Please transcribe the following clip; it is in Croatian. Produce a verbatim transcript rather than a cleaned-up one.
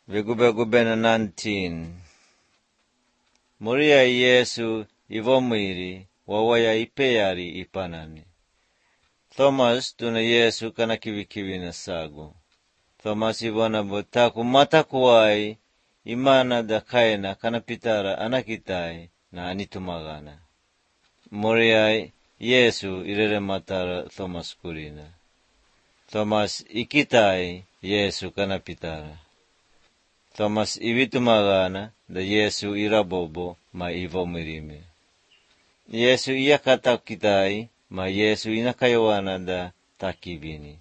Vigubegubena nineteen. Moria Yesu ivomwiri wawaya ipeyari ipanani. Thomas tuna Yesu kana kivikivi na sagu. Thomas ivona botaku matakuwai imana da kaina kana pitara anakitai na anitumagana. Moria Yesu irere matara Thomas kurina. Thomas ikitai Yesu kana pitara. Thomas ivitumagana da Yesu irabobo ma ivomwirime. Yesu iyakata kitai ma Yesu inakayawana da takivini.